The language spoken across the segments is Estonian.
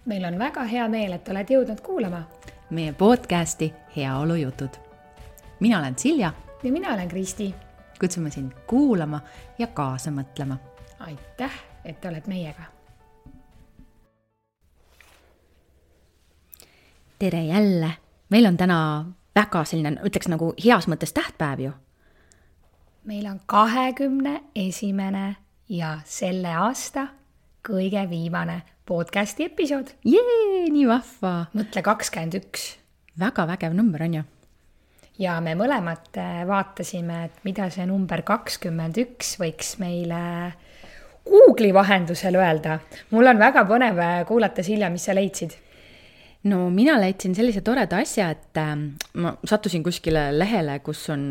Meil on väga hea meel, et oled jõudnud kuulama meie podcasti Heaolujutud. Mina olen Silja ja mina olen Kristi. Kutsume sind kuulama ja kaasa mõtlema. Aitäh, et oled meiega. Tere jälle. Meil on täna väga selline, ütleks nagu heas mõttes tähtpäev ju. Meil on 21. ja selle aasta kõige viimane podcasti episood. Jee, nii vahva. Mõtle 21. Väga vägev number on ju. Ja me mõlemad vaatasime, et mida see number 21 võiks meile Google'i vahendusel öelda. Mul on väga põnev kuulata, Silja, mis sa leidsid? No mina leidsin sellise toreda asja, et ma sattusin kuskile lehele, kus on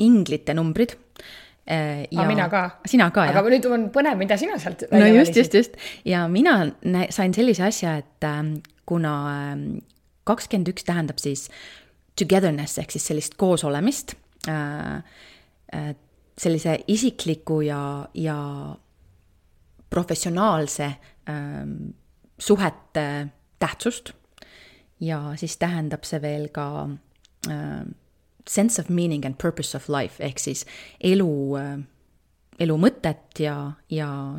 inglite numbrid. Ja mina ka. Sina ka, aga nüüd on põnev, mida sina sealt välja valisid. Just. Ja mina sain sellise asja, et kuna 21 tähendab siis togetherness ehk siis sellist koosolemist, sellise isikliku ja professionaalse suhete tähtsust ja siis tähendab see veel ka sense of meaning and purpose of life ehk siis elu mõtet ja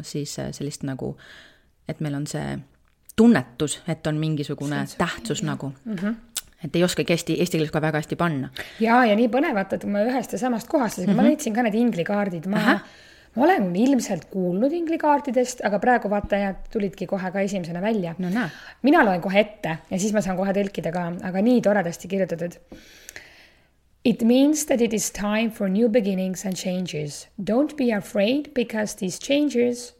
siis sellist nagu, et meil on see tunnetus, et on mingisugune tähtsus nagu. Et ei oskagi eesti keeles ka väga hästi panna. Ja nii põnevat, et ma ühest ja samast kohast, ma leidsin ka need inglikaardid. Ma olen ilmselt kuulnud inglikaardidest, aga praegu vaatajad tulidki kohe ka esimesena välja. No näe. Mina loen kohe ette ja siis ma saan kohe tõlkida ka, aga nii toredasti kirjutatud. It means that it is time for new beginnings and changes. Don't be afraid because these changes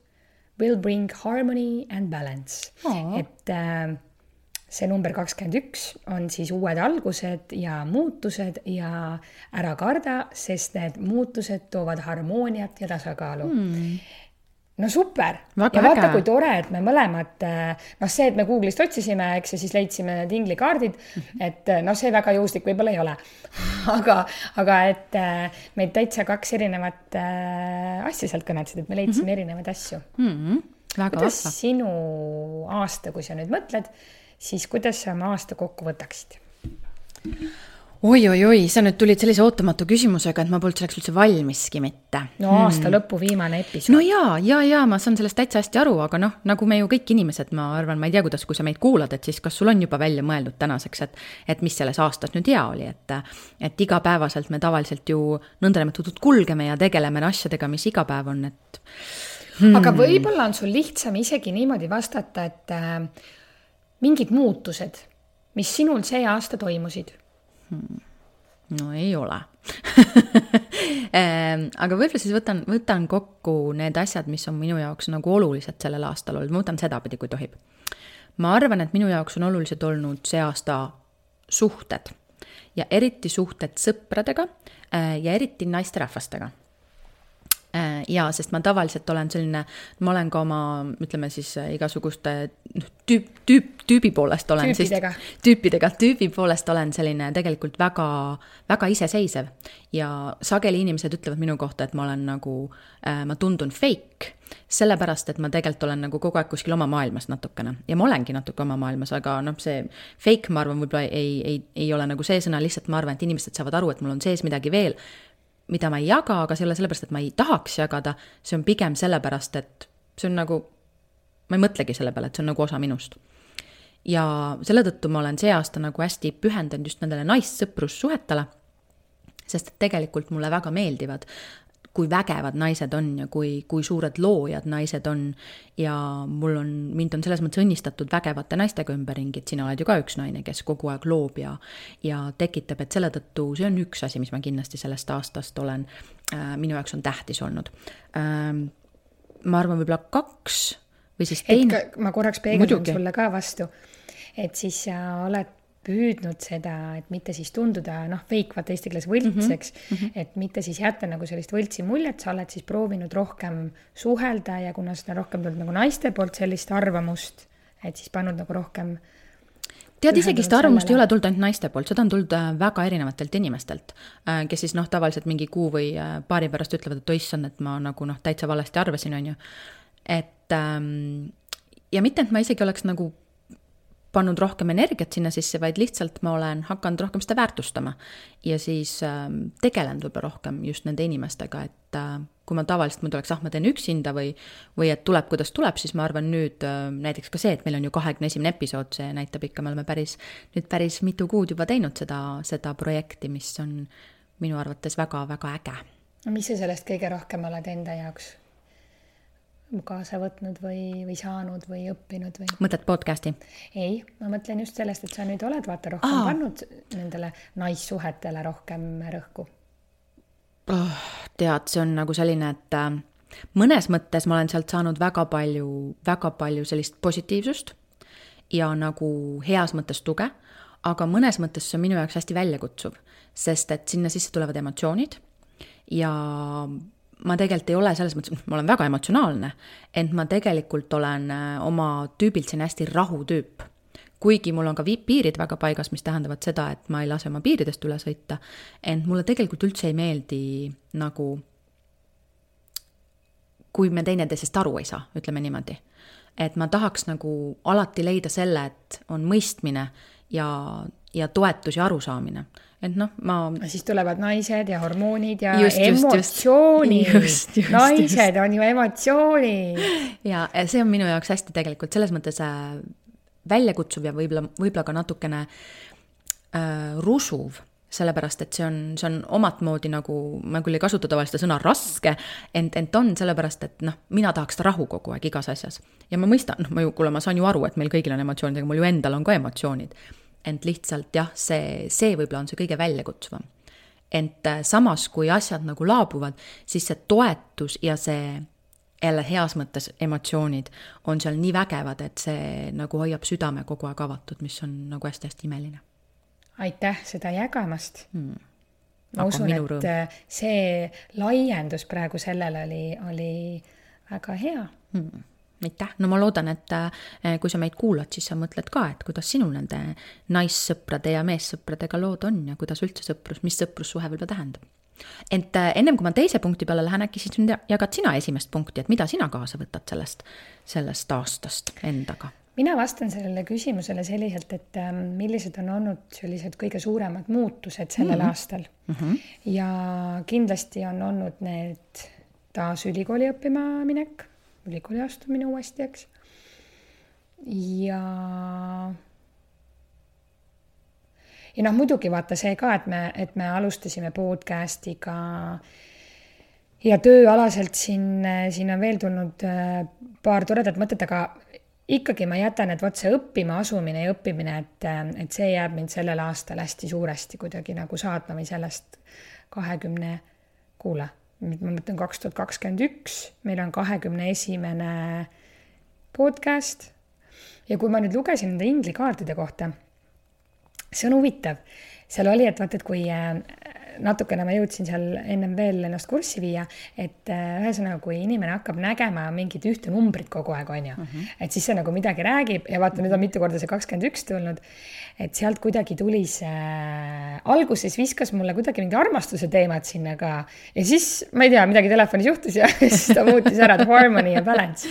will bring harmony and balance. Et see number 21 on siis uued algused ja muutused ja ära karda, sest need muutused toovad harmooniat ja tasakaalu. No super! Väga ja vaata, äge. kui tore, et me mõlemad, see, et me Google'ist otsisime, eks ja siis leidsime need inglikaardid, et see väga juhuslik võib-olla ei ole. aga et meid täitsa kaks erinevat asja sealt kõnetsid, et me leidsime erinevaid asju. Väga kuidas vahva. sinu aasta, kui sa nüüd mõtled, siis kuidas sa oma aasta kokku võtaksid? Oi, sa nüüd tulid sellise ootamatu küsimusega, et ma polnud selleks üldse valmiski mitte. No aasta lõpu viimane episood. No jaa, ma saan sellest täitsa hästi aru, aga nagu me ju kõik inimesed, ma arvan, ma ei tea, kuidas, kui sa meid kuulad, et siis kas sul on juba välja mõeldud tänaseks, et mis selles aastas nüüd hea oli, et igapäevaselt me tavaliselt ju nõndanimetatud kulgeme ja tegeleme asjadega, mis iga päev on, et... Aga võib-olla on sul lihtsam isegi niimoodi vastata, et mingid muutused, mis sinul see aasta toimusid? No ei ole. Aga võib-olla siis võtan kokku need asjad, mis on minu jaoks nagu olulised sellel aastal olnud. Ma võtan sedapidi, kui tohib. Ma arvan, et minu jaoks on olulised olnud see aasta suhted ja eriti suhted sõpradega ja eriti naisterahvastega. Ja sest ma tavaliselt olen selline, ma olen ka oma, ütleme siis igasuguste tüübi poolest olen tüübi poolest olen selline tegelikult väga, väga iseseisev ja sageli inimesed ütlevad minu kohta, et ma olen nagu, ma tundun fake, sellepärast, et ma tegelikult olen nagu kogu aeg kuskil oma maailmas natukene ja ma olengi natuke oma maailmas, aga see fake, ma arvan, võib-olla ei ole nagu see sõna, lihtsalt ma arvan, et inimesed saavad aru, et mul on sees midagi veel, mida ma ei jaga, aga see ei ole sellepärast, et ma ei tahaks jagada, see on pigem sellepärast, et see on nagu, ma ei mõtlegi selle peale, et see on nagu osa minust. Ja selle tõttu ma olen see aasta nagu hästi pühendanud just nendele naissõprussuhetele, sest tegelikult mulle väga meeldivad, kui vägevad naised on ja kui suured loojad naised on ja mind on selles mõttes õnnistatud vägevate naistega ümberringi, et sina oled ju ka üks naine, kes kogu aeg loob ja tekitab, et selle tõttu see on üks asi, mis ma kindlasti sellest aastast olen, minu jaoks on tähtis olnud. Ma arvan võib-olla 2 või siis teine. Ma korraks peegeldan sulle ka vastu, et siis sa oled püüdnud seda, et mitte siis tunduda, fake, vaata eesti keeles võltseks, et mitte siis jätta nagu sellist võltsi muljet, sa oled siis proovinud rohkem suhelda ja kuna seda rohkem tulnud nagu naiste poolt sellist arvamust, et siis pannud nagu rohkem Tead, isegi seda arvamust ei ole tulnud ainult naiste poolt, seda on tulnud väga erinevatelt inimestelt, kes siis tavaliselt mingi kuu või paari pärast ütlevad, et oissand, et ma nagu täitsa valesti arvasin, on ju. Et ja mitte, et ma isegi oleks nagu pannud rohkem energiat sinna sisse, vaid lihtsalt ma olen hakanud rohkem seda väärtustama ja siis tegelen võib-olla rohkem just nende inimestega, et kui ma tavaliselt mul oleks, ma teen üksinda või et tuleb, kuidas tuleb, siis ma arvan nüüd näiteks ka see, et meil on ju 21. episood, see näitab ikka, me oleme päris mitu kuud juba teinud seda projekti, mis on minu arvates väga-väga äge. Mis sa sellest kõige rohkem oled enda jaoks kaasa võtnud või saanud või õppinud või? Mõtled podcasti? Ei, ma mõtlen just sellest, et sa nüüd oled vaata rohkem pannud nendele naissuhetele rohkem rõhku. Tead, see on nagu selline, et mõnes mõttes ma olen sealt saanud väga palju sellist positiivsust ja nagu heas mõttes tuge, aga mõnes mõttes see on minu jaoks hästi väljakutsuv, sest et sinna sisse tulevad emotsioonid ja ma tegelikult ei ole selles mõttes, ma olen väga emotsionaalne, ent ma tegelikult olen oma tüübilt siin hästi rahutüüp. Kuigi mul on ka piirid väga paigas, mis tähendavad seda, et ma ei lase oma piiridest üle sõita, ent mulle tegelikult üldse ei meeldi nagu, kui me teineteisest aru ei saa, ütleme niimoodi. Et ma tahaks nagu alati leida selle, et on mõistmine ja toetus ja arusaamine. Et siis tulevad naised ja hormoonid ja emotsioonid. Just. Naised on ju emotsioonid. Ja see on minu jaoks hästi tegelikult selles mõttes väljakutsuv ja võib-olla ka natukene rusuv, sellepärast, et see on omat moodi nagu, ma küll ei kasuta tavalist sõna raske, ent on sellepärast, et mina tahaks ta rahu kogu aeg igas asjas. Ja ma mõistan, ma saan ju aru, et meil kõigil on emotsioonid, aga mul ju endal on ka emotsioonid. Ent lihtsalt jah, see võib-olla on see kõige väljakutsuvam. Ent samas, kui asjad nagu laabuvad, siis see toetus ja see jälle heas mõttes emotsioonid on seal nii vägevad, et see nagu hoiab südame kogu aeg avatud, mis on nagu hästi-hästi imeline. Aitäh seda jagamast. Ma usun, et see laiendus praegu sellele oli väga hea. Aitäh. No ma loodan, et kui sa meid kuulad, siis sa mõtled ka, et kuidas sinul nende naissõprade ja meessõpradega lood on ja kuidas üldse mis sõprussuhe võib tähendab. Ent ennem kui ma teise punkti peale lähen, äkki siis jagad sina esimest punkti, et mida sina kaasa võtad sellest aastast endaga? Mina vastan sellele küsimusele selliselt, et millised on olnud sellised kõige suuremad muutused sellel aastal. Ja kindlasti on olnud need taas ülikooli õppima minek, ülikooli astumine uuesti, eks. Ja muidugi vaata see ka, et me alustasime podcastiga ja tööalaselt siin on veel tulnud paar toredat mõtet, aga ikkagi ma jätan, et see õppima asumine ja õppimine, et see jääb mind sellel aastal hästi suuresti kuidagi nagu saatma või sellest 20, kuule, ma mõtlen 2021, meil on 21. podcast ja kui ma nüüd lugesin nende inglikaartide kohta, see on huvitav. Seal oli, et vaata, et kui natukene ma jõudsin seal ennem veel ennast kurssi viia, et ühesõnaga, kui inimene hakkab nägema mingit ühte numbrit kogu aeg, on ju, et siis see nagu midagi räägib ja vaata, nüüd on mitu korda see 21 tulnud, et sealt kuidagi tuli see, alguses viskas mulle kuidagi mingi armastuse teemad sinna ka ja siis, ma ei tea, midagi telefonis juhtus ja siis ta muutis ära, harmony ja balance.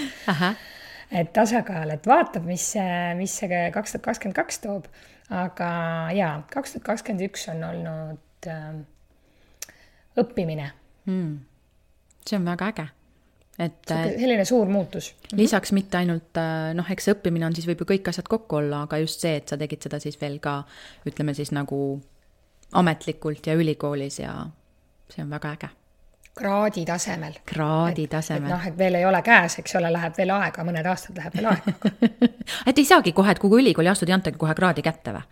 Et tasakaal, et vaatab, mis see 2022 toob. Aga jaa, 2021 on olnud õppimine. See on väga äge. Et selline suur muutus. Lisaks mitte ainult, eks õppimine on siis võib ju kõik asjad kokku olla, aga just see, et sa tegid seda siis veel ka, ütleme siis nagu ametlikult ja ülikoolis ja see on väga äge. Kraadi tasemel. Et veel ei ole käes, eks ole, läheb veel aega, mõned aastad läheb veel aega. Et ei saagi kohe, et kui ülikooli astud, ei antagi kohe kraadi kätte või?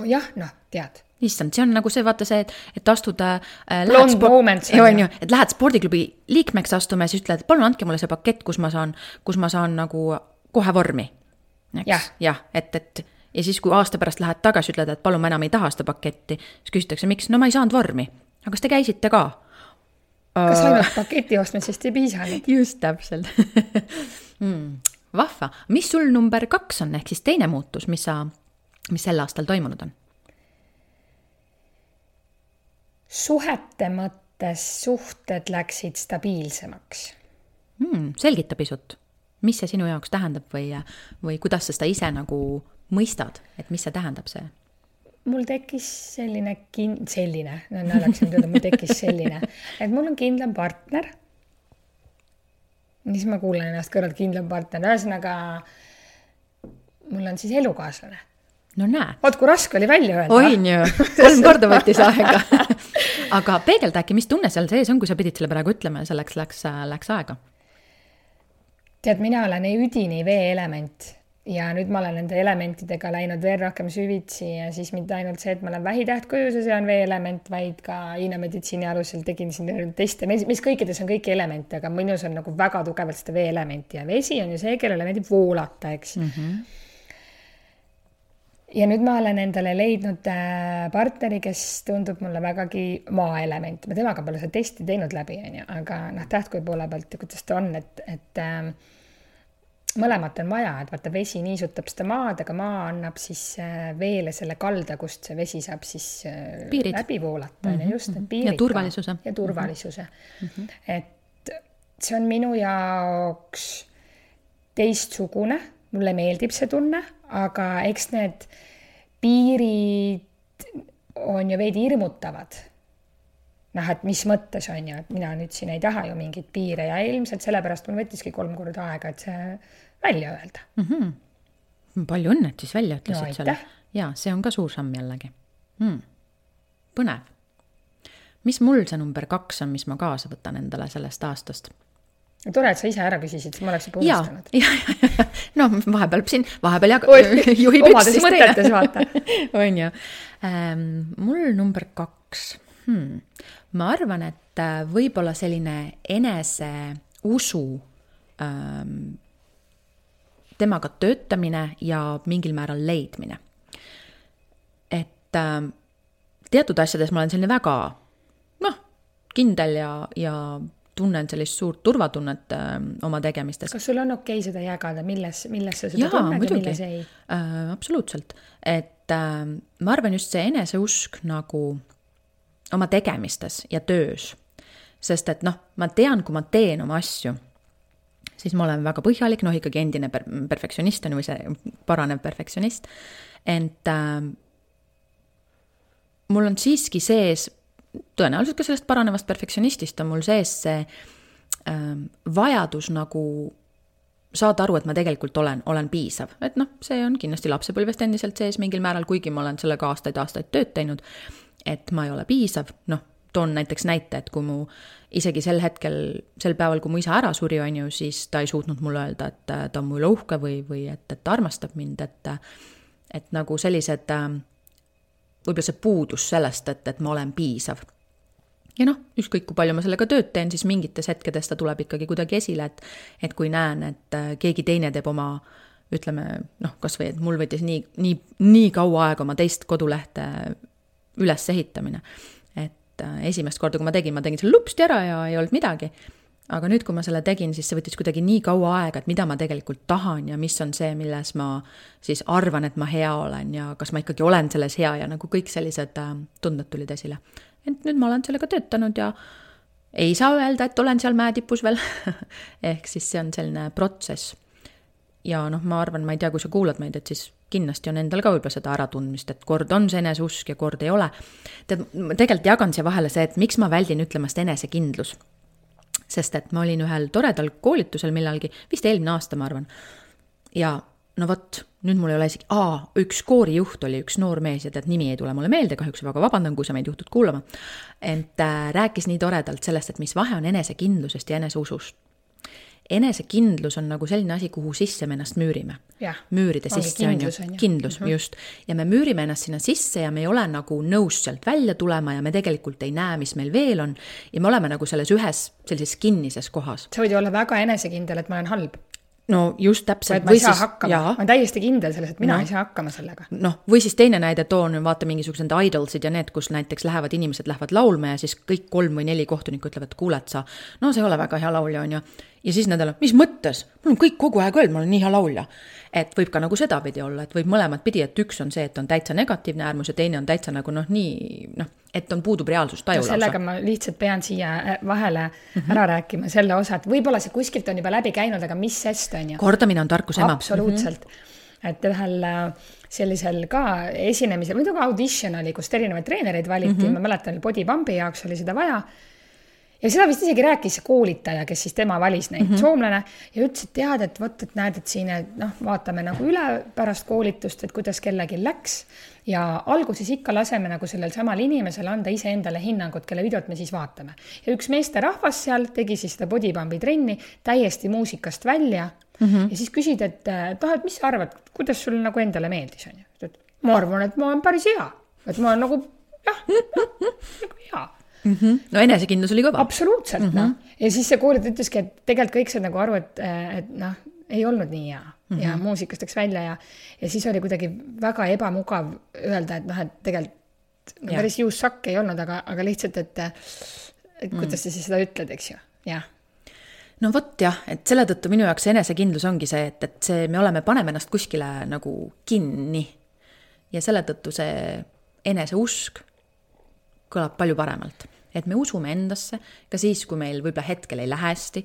Jah, tead. Issand, see on nagu see, vaata see, et astud lähed spordiklubi liikmeks astuma ja siis ütled, et palun andke mulle see pakett, kus ma saan nagu kohe vormi. Jah, et ja siis kui aasta pärast lähed tagasi, ütled, et palun ma enam ei taha seda paketti, siis küsitakse, miks? No ma ei saanud vormi. Aga kas te käisite ka? Kas ainult paketi ostmisest ei piisanud? Just täpselt. Vahva. Mis sul number 2 on, ehk siis teine muutus, mis sel aastal toimunud on? Suhete mõttes suhted läksid stabiilsemaks. Selgita pisut. mis see sinu jaoks tähendab või kuidas sa seda ise nagu mõistad, et mis see tähendab see? Mul tekkis selline, naljaks nüüd öelda, mul tekkis selline, et mul on kindlam partner. Siis ma kuulen ennast kõrvalt kindlam partner. Ühesõnaga, mul on siis elukaaslane. No näe. Oot, kui raske oli välja öelda. Oin ju, 3 korda võttis aega. Aga peegelda äkki, mis tunne seal sees on, kui sa pidid selle praegu ütlema ja selleks läks aega? Tead, mina olen üdini vee-element ja nüüd ma olen nende elementidega läinud veel rohkem süvitsi ja siis mitte ainult see, et ma olen vähitähtkuju, see on vee-element, vaid ka Hiina meditsiini alusel tegin siin teste, mis kõikides on kõiki elemente, aga minus on nagu väga tugevalt seda vee-elementi ja vesi on ju see, kellele meeldib voolata, eks. Ja nüüd ma olen endale leidnud partneri, kes tundub mulle vägagi maa-element. Ma temaga pole seda testi teinud läbi, aga tähtkuju poole pealt, kuidas ta on, et mõlemat on vaja, et vaata vesi niisutab seda maad, aga maa annab siis veele selle kalda, kust see vesi saab siis läbi voolata. Just need piirid. Ja turvalisuse. Et see on minu jaoks teistsugune. Mulle meeldib see tunne, aga eks need piirid on ju veidi hirmutavad. Et mis mõttes on ju, et mina nüüd siin ei taha ju mingit piire ja ilmselt sellepärast mul võttiski 3 korda aega, et see välja öelda. Palju õnnet siis välja ütlesid selle. Ja, see on ka suur samm jällegi. Põnev. Mis mul see number 2 on, mis ma kaasa võtan endale sellest aastast? Tore, et sa ise ära küsisid, siis ma oleks juba unistanud. Ja. No vahepeal juhib üks siis mõtetes, vaata. On ju. Mul number 2. Ma arvan, et võib-olla selline enese usu temaga töötamine ja mingil määral leidmine. Et teatud asjades ma olen selline väga kindel ja tunnen sellist suurt turvatunnet oma tegemistes. Kas sul on okei seda jagada, milles sa seda tunned ja milles ei? Absoluutselt. Et ma arvan just see eneseusk nagu oma tegemistes ja töös. Sest et ma tean, kui ma teen oma asju, siis ma olen väga põhjalik, ikkagi endine perfektsionist või see paranev perfektsionist. Ent mul on siiski sees tõenäoliselt ka sellest paranevast perfektsionistist on mul sees see vajadus nagu saada aru, et ma tegelikult olen piisav. Et see on kindlasti lapsepõlvest endiselt sees mingil määral, kuigi ma olen sellega aastaid tööd teinud, et ma ei ole piisav. Toon näiteks näite, et kui mu isegi sel päeval, kui mu isa ära suri, on ju, siis ta ei suutnud mulle öelda, et ta on mu üle uhke või et armastab mind, et nagu sellised võib-olla see puudus sellest, et ma olen piisav. Ja ükskõik kui palju ma sellega tööd teen, siis mingites hetkedes ta tuleb ikkagi kuidagi esile, et kui näen, et keegi teine teeb oma, ütleme, kas või, et mul võttis nii kaua aega oma teist kodulehte üles ehitamine. Et esimest korda, kui ma tegin selle lupsti ära ja ei olnud midagi. Aga nüüd, kui ma selle tegin, siis see võttis kuidagi nii kaua aega, et mida ma tegelikult tahan ja mis on see, milles ma siis arvan, et ma hea olen ja kas ma ikkagi olen selles hea ja nagu kõik sellised tunded tulid esile. Et nüüd ma olen sellega töötanud ja ei saa öelda, et olen seal mäetipus veel. Ehk siis see on selline protsess. Ja ma arvan, ma ei tea, kui sa kuulad meid, et siis kindlasti on endal ka võib-olla seda äratundmist, et kord on see eneseusk ja kord ei ole. Tegelikult jagan siia vahele see, et miks ma väldin ütlemast enesekindlus. Sest et ma olin ühel toredal koolitusel millalgi, vist eelmine aasta, ma arvan. Ja nüüd mul ei ole isegi, üks koorijuht oli üks noor mees ja nimi ei tule mulle meelde, kahjuks väga vabandan, kui sa meid juhtud kuulama. Ent rääkis nii toredalt sellest, et mis vahe on enesekindlusest ja eneseusust. Enesekindlus on nagu selline asi, kuhu sisse me ennast müürime. Müüride sisse on ju. Kindlus, just. Ja me müürime ennast sinna sisse ja me ei ole nagu nõus sealt välja tulema ja me tegelikult ei näe, mis meil veel on. Ja me oleme nagu selles ühes sellises kinnises kohas. Sa võid olla väga enesekindel, et ma olen halb. No just täpselt. Ma ei saa hakkama. Ma olen täiesti kindel selles, et mina ei saa hakkama sellega. Või siis teine näide toon, vaata mingisugused idolsid ja need, kus näiteks inimesed lähevad laulma ja siis kõik 3 või 4 kohtunikku ütlevad, kuuled sa, see ei ole väga hea laulja on ju. ja siis nendel on, mis mõttes? Mul on kõik kogu aeg öelnud, ma olen nii hea laulja. Et võib ka nagu seda pidi olla, et võib mõlemad pidi, et üks on see, et on täitsa negatiivne äärmus ja teine on täitsa nagu et on puudub reaalsus taju lausa. Sellega ma lihtsalt pean siia vahele ära rääkima selle osa, et võib-olla see kuskilt on juba läbi käinud, aga mis sest on ju? Kordamine on tarkuse ema. Absoluutselt. Et ühel sellisel ka esinemisel, muidu ka audition oli, kus erinevaid treenereid valiti, ma mäletan, body pumpi jaoks oli seda vaja. Ja seda vist isegi rääkis koolitaja, kes siis tema valis neid soomlane ja ütles, et tead, et võt, et näed, et siin vaatame nagu üle pärast koolitust, et kuidas kellegi läks ja alguses ikka laseme nagu sellel samal inimesel anda ise endale hinnangut, kelle videot me siis vaatame. Ja üks meesterahvas seal tegi siis seda bodypumpi trenni täiesti muusikast välja ja siis küsid, et mis sa arvad, kuidas sul nagu endale meeldis? Ma arvan, et ma olen päris hea, et ma olen nagu nagu hea. No enesekindlus oli kõva. Absoluutselt, Ja siis see koolid ütleski, et tegelikult kõik said nagu aru, et ei olnud nii hea ja muusikast läks välja ja siis oli kuidagi väga ebamugav öelda, et tegelikult päris juussakk ei olnud, aga lihtsalt, et kuidas sa siis seda ütled, eks ju, jah. No vot jah, et selle tõttu minu jaoks enesekindlus ongi see, et see me paneme ennast kuskile nagu kinni ja selle tõttu see eneseusk kõlab palju paremalt. Et me usume endasse, ka siis, kui meil võib-olla hetkel ei lähe hästi,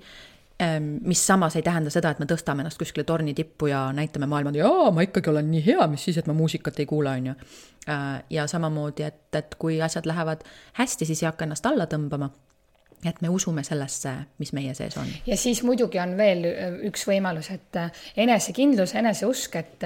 mis samas ei tähenda seda, et me tõstame ennast kuskile torni tippu ja näitame maailmad, ma ikkagi olen nii hea, mis siis, et ma muusikat ei kuula, on ju. Ja samamoodi, et kui asjad lähevad hästi, siis ei hakka ennast alla tõmbama, et me usume sellesse, mis meie sees on. Ja siis muidugi on veel üks võimalus, et enesekindlus, eneseusk, et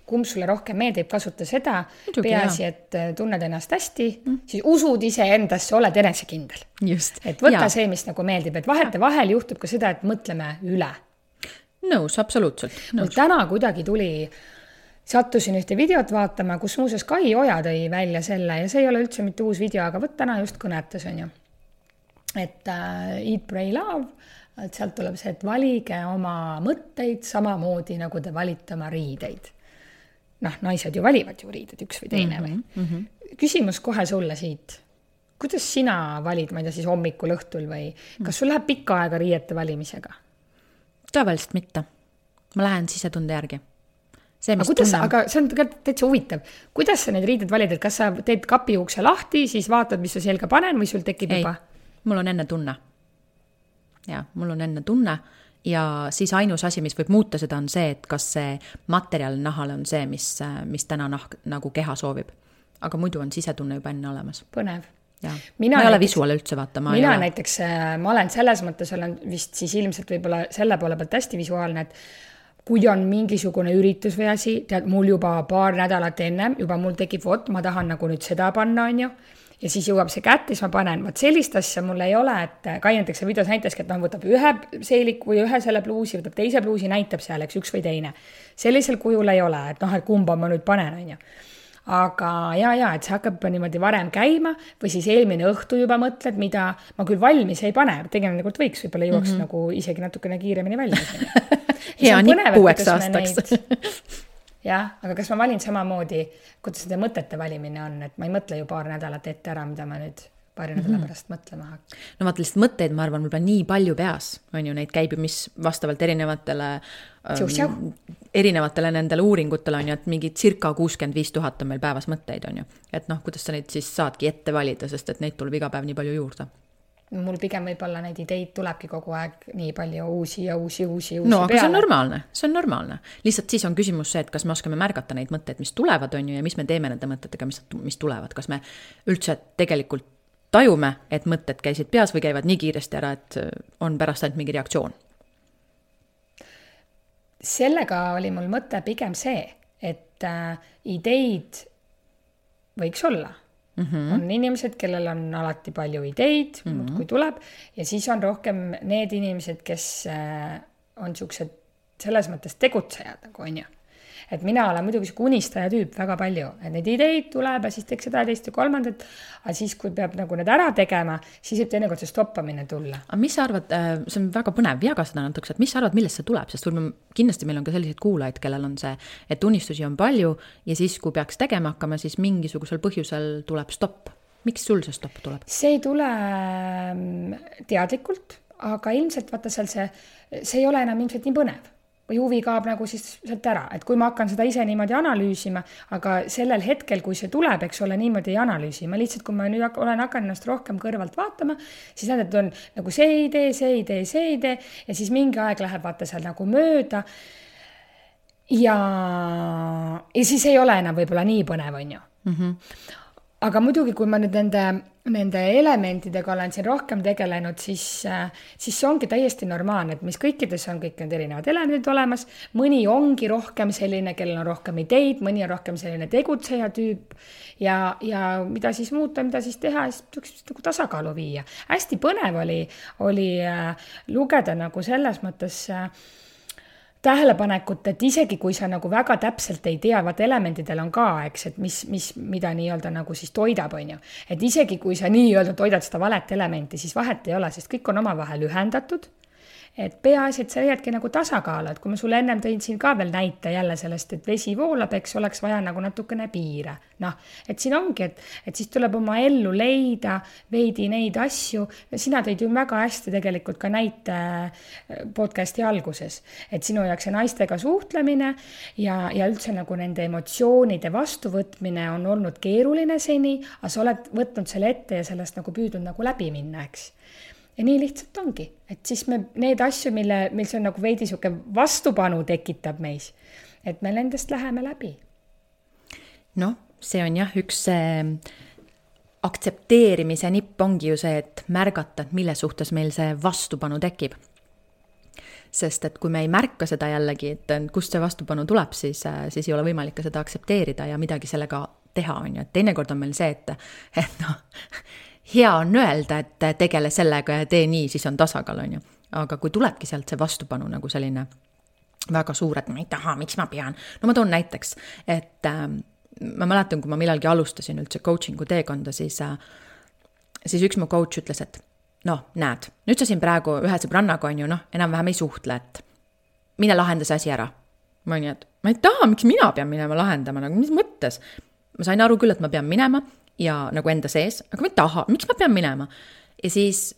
kumb sulle rohkem meeldib, kasuta seda, muidugi, peaasi, et tunned ennast hästi, siis usud ise endasse, oled enesekindel. Just. Et võta see, mis nagu meeldib, et vahel juhtub ka seda, et mõtleme üle. Nõus, absoluutselt. Mul täna kuidagi sattusin ühte videot vaatama, kus muuseas Kai Oja tõi välja selle ja see ei ole üldse mitte uus video, aga täna just kõnetas on ju. Et eat, pray, love, et sealt tuleb see, et valige oma mõtteid samamoodi, nagu te valite oma riideid. Naised ju valivad ju riided, üks või teine või. Küsimus kohe sulle siit. Kuidas sina valid, ma ei tea, siis hommikul õhtul või kas sul läheb pikka aega riiete valimisega? Tavaliselt mitte. Ma lähen sisetunde järgi. Aga see on täitsa huvitav. Kuidas sa neid riided valid, et kas sa teed kapi ukse lahti, siis vaatad, mis sa selga panen või sul tekib juba? Mul on enne tunne. Ja, mul on enne tunne ja siis ainus asi, mis võib muuta seda on see, et kas see materjal nahal on see, mis täna nagu keha soovib. Aga muidu on sisetunne juba enne olemas. Põnev. Ja. Ma ei ole visuaal üldse vaata. Ma olen selles mõttes, olen vist siis ilmselt võib-olla selle poole pealt hästi visuaalne, et kui on mingisugune üritus või asi, tead, mul juba paar nädalat ennem, juba mul tekib, ma tahan nagu nüüd seda panna, on ju. Ja siis jõuab see kätte, siis ma panen, sellist asja mul ei ole, et Kai näiteks videos näitaski, et võtab ühe seelik või ühe selle pluusi, võtab teise pluusi, näitab seal, üks või teine. Sellisel kujul ei ole, et kumba ma nüüd panen, on ju. Aga et see hakkab niimoodi varem käima või siis eelmine õhtu juba mõtled, mida ma küll valmis ei pane, tegelikult võiks, võib-olla jõuaks nagu isegi natukene kiiremini välja. Hea nii 6 aastaks. Jah, aga kas ma valin samamoodi, kuidas seda mõtete valimine on, et ma ei mõtle ju paar nädalat ette ära, mida ma nüüd paari nädala pärast mõtlema hakkan. No vaata lihtsalt mõtteid, ma arvan, võib-olla nii palju peas, on ju, neid käib ju, mis vastavalt erinevatele nendele uuringutele on ju, et mingi circa 65 000 on meil päevas mõtteid, on ju. Et kuidas sa neid siis saadki ette valida, sest et neid tuleb iga päev nii palju juurde. Mul pigem võib-olla neid ideid tulebki kogu aeg nii palju uusi no, aga peale. See on normaalne. Lihtsalt siis on küsimus see, et kas me oskame märgata neid mõtteid, mis tulevad, on ju, ja mis me teeme nende mõtetega, mis tulevad. Kas me üldse tegelikult tajume, et mõtted käisid peas või käivad nii kiiresti ära, et on pärast ainult mingi reaktsioon? Sellega oli mul mõte pigem see, et ideid võiks olla. On inimesed, kellel on alati palju ideid, kui tuleb, ja siis on rohkem need inimesed, kes on siuksed selles mõttes tegutsejad, nagu on ju. Et mina olen muidugi unistaja tüüp väga palju, et neid ideid tuleb ja siis teeks seda teist ja kolmandat, aga siis, kui peab nagu need ära tegema, siis võib teinekord see stoppamine tulla. Aga mis sa arvad, see on väga põnev, jaga seda natuks, et mis sa arvad, millest see tuleb, sest kindlasti meil on ka sellised kuulajaid, kellel on see, et unistusi on palju ja siis, kui peaks tegema hakkama, siis mingisugusel põhjusel tuleb stopp. Miks sul see stopp tuleb? See ei tule teadlikult, aga ilmselt vaata seal see ei ole enam ilmselt nii põnev. Või huvi kaob nagu siis sealt ära, et kui ma hakkan seda ise niimoodi analüüsima, aga sellel hetkel, kui see tuleb, eks ole, niimoodi ei analüüsi. Ma lihtsalt, kui ma nüüd olen hakanud ennast rohkem kõrvalt vaatama, siis näed, et on nagu see idee ja siis mingi aeg läheb vaata seal nagu mööda ja siis ei ole enam võib-olla nii põnev, on ju. Aga muidugi, kui ma nüüd nende elementidega olen siin rohkem tegelenud, siis see ongi täiesti normaalne, et mis kõikides on kõik need erinevad elemendid olemas. Mõni ongi rohkem selline, kellel on rohkem ideid, mõni on rohkem selline tegutseja tüüp ja mida siis muuta, mida siis teha, siis nagu tasakaalu viia. Hästi põnev oli lugeda nagu selles mõttes tähelepanekut, et isegi kui sa nagu väga täpselt ei tea, vaat elementidel on ka, eks, et mida nii-öelda nagu siis toidab, on ju. Et isegi kui sa nii-öelda toidad seda valet elementi, siis vahet ei ole, sest kõik on omavahel ühendatud. Et peaasi, et sa leiadki nagu tasakaalu, et kui ma sulle ennem tõin siin ka veel näite jälle sellest, et vesi voolab, eks oleks vaja nagu natukene piire. Et siin ongi, et siis tuleb oma ellu leida veidi neid asju. Sina tõid ju väga hästi tegelikult ka näite podcasti alguses, et sinu jaoks see naistega suhtlemine ja üldse nagu nende emotsioonide vastuvõtmine on olnud keeruline seni, aga sa oled võtnud selle ette ja sellest nagu püüdnud nagu läbi minna, eks. Ja nii lihtsalt ongi, et siis me need asju, mil see on nagu veidi siuke vastupanu tekitab meis, et me nendest läheme läbi. No, see on jah, üks aktsepteerimise nipp ongi ju see, et märgata, et mille suhtes meil see vastupanu tekib. Sest et kui me ei märka seda jällegi, et kust see vastupanu tuleb, siis ei ole võimalik ka seda aktsepteerida ja midagi sellega teha on ju. Et teinekord on meil see, et noh, hea on öelda, et tegele sellega ja tee nii, siis on tasakaal, on ju. Aga kui tulebki sealt see vastupanu nagu selline väga suur, et ma ei taha, miks ma pean. No ma toon näiteks, et ma mäletan, kui ma millalgi alustasin üldse coachingu teekonda, siis üks mu coach ütles, et näed, nüüd sa siin praegu ühe sõbrannaga on ju, enam-vähem ei suhtle, et mine lahenda see asi ära. Ma olin, et ma ei taha, miks mina pean minema lahendama, nagu mis mõttes? Ma sain aru küll, et ma pean minema ja nagu enda sees, aga ma ei taha, miks ma pean minema? Ja siis,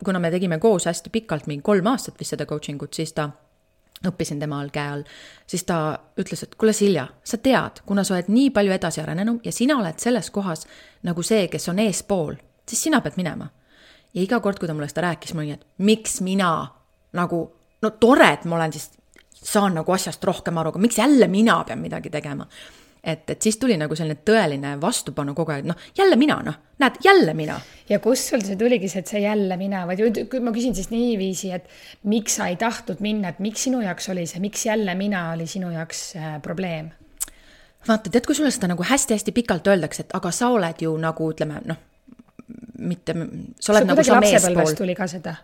kuna me tegime koos hästi pikalt, mingi 3 aastat vist seda coachingut, siis ta õppisin temal käe all, siis ta ütles, et kuule Silja, sa tead, kuna sa oled nii palju edasi arenenud ja sina oled selles kohas nagu see, kes on eespool, siis sina pead minema. Ja iga kord, kui ta mulle seda rääkis, ma olin, et miks mina nagu, tore, et ma olen siis saan nagu asjast rohkem aru, aga miks jälle mina pean midagi tegema? Et siis tuli nagu selline tõeline vastupanu kogu aeg, jälle mina, näed, jälle mina. Ja kus sul see tuligi see, et see jälle mina, või kui ma küsin siis niiviisi, et miks sa ei tahtnud minna, et miks sinu jaoks oli see, miks jälle mina oli sinu jaoks probleem? Vaata, tead, kui sulle seda nagu hästi-hästi pikalt öeldakse, et aga sa oled ju nagu, ütleme, mitte, sa oled nagu sa meespool. Tuli ka seda?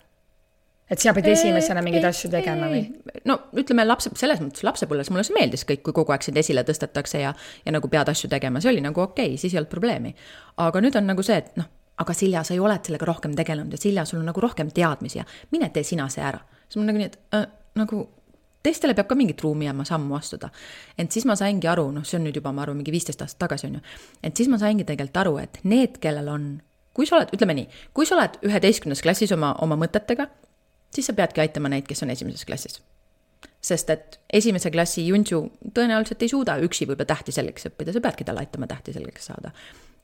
Et sa pead esimesena mingeid asju tegema või? No ütleme, selles mõttes lapsepõlves mulle see meeldis kõik, kui kogu aeg sind esile tõstetakse ja nagu pead asju tegema. See oli nagu okei, siis ei olnud probleemi. Aga nüüd on nagu see, et aga Silja, sa ei oled sellega rohkem tegelenud ja Silja, sul on nagu rohkem teadmisi ja mine tee sina see ära. Siis mul nagu nii, et nagu teistele peab ka mingit ruumi jääma sammu astuda. Et siis ma saingi aru, see on nüüd juba, ma arvan, mingi 15 aastat tagasi on ju. Et siis ma saingi tegelikult aru, et need, kellel on, kui sa oled, ütleme nii, kui sa oled 11. klassis oma mõtetega, siis sa peadki aitama neid, kes on 1. klassis. Sest et 1. klassi Juntsu tõenäoliselt ei suuda üksi võib-olla tähti selgeks õppida, sa peadki talle aitama tähti selgeks saada.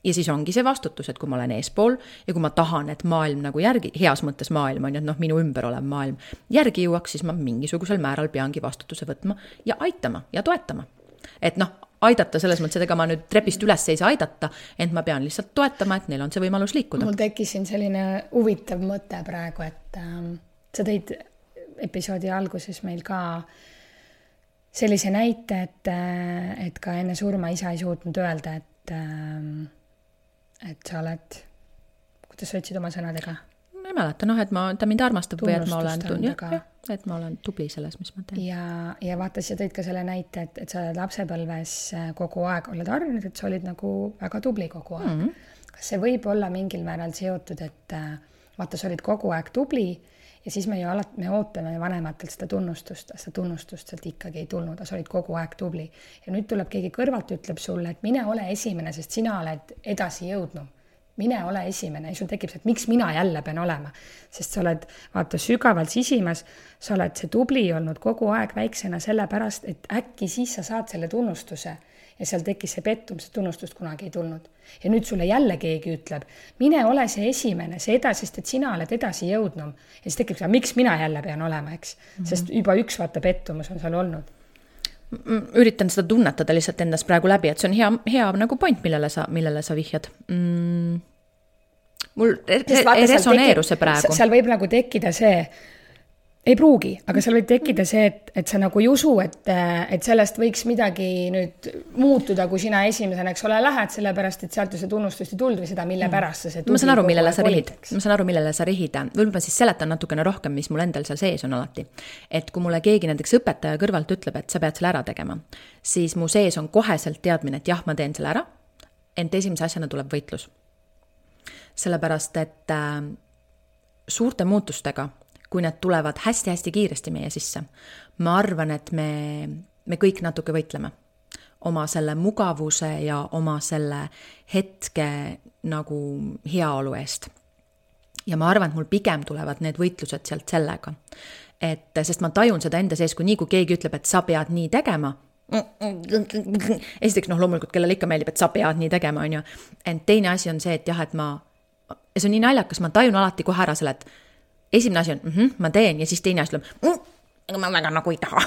Ja siis ongi see vastutus, et kui ma olen eespool ja kui ma tahan, et maailm nagu järgi, heas mõttes maailm on, et minu ümber olev maailm järgi jõuaks, siis ma mingisugusel määral peangi vastutuse võtma ja aitama ja toetama. Et aidata selles mõttes, et ega ma nüüd trepist üles ei saa aidata, ent ma pean lihtsalt toetama, et neil on see võimalus liikuda. Mul tekkis siin selline huvitav mõte praegu, et sa tõid episoodi alguses meil ka sellise näite, et ka enne surma isa ei suutnud öelda, et sa oled, kuidas sa ütlesid oma sõnadega? Ma ei mäleta, ta mind armastab või et ma olen tubli selles, mis ma teen. Ja vaata, sa tõid ka selle näite, et sa oled lapsepõlves kogu aeg oled harjunud, et sa olid nagu väga tubli kogu aeg. Kas see võib olla mingil määral seotud, et vaata, sa olid kogu aeg tubli ja siis me ootame vanematelt seda tunnustust sealt ikkagi ei tulnud, sa olid kogu aeg tubli. Ja nüüd tuleb keegi kõrvalt, ütleb sulle, et mine ole esimene, sest sina oled edasi jõudnud. mine ole esimene ja sul tekib see, et miks mina jälle pean olema. Sest sa oled, vaata, sügavalt sisimas, sa oled see tubli olnud kogu aeg väiksena sellepärast, et äkki siis sa saad selle tunnustuse ja seal tekkis see pettumus, see tunnustust kunagi ei tulnud. Ja nüüd sulle jälle keegi ütleb, mine ole see esimene, see edasi, sest et sina oled edasi jõudnum. Ja siis tekib see, miks mina jälle pean olema, eks? Sest juba üks vaata pettumus on seal olnud. Üritan seda tunnetada lihtsalt endast praegu läbi, et see on hea nagu point, millele sa vihjad. Mul resoneeru see praegu. Seal võib nagu tekkida see, ei pruugi, aga seal võib tekkida see, et sa nagu ei usu, et sellest võiks midagi nüüd muutuda, kui sina esimesena, eks ole, lähed, sellepärast, et sealt ju see tunnustust ei tulnud või seda, mille pärast sa see Ma saan aru, millele sa rihid. Võib-olla siis seletan natukene rohkem, mis mul endal seal sees on alati. Et kui mulle keegi näiteks õpetaja kõrvalt ütleb, et sa pead selle ära tegema, siis mu sees on koheselt teadmine, et jah, ma teen selle ära, ent esimese asjana tuleb võitlus. Sellepärast, et suurte muutustega kui need tulevad hästi-hästi kiiresti meie sisse. Ma arvan, et me kõik natuke võitleme oma selle mugavuse ja oma selle hetke nagu heaolu eest. Ja ma arvan, et mul pigem tulevad need võitlused sealt sellega. Sest ma tajun seda enda sees, kui keegi ütleb, et sa pead nii tegema. Esiteks, loomulikult, kellele ikka meeldib, et sa pead nii tegema, on ju. Ent teine asi on see, et jah, et see on nii naljakas, ma tajun alati kohe ära selle, et esimene asi on, ma teen ja siis teine asi tuleb, aga ma väga nagu ei taha.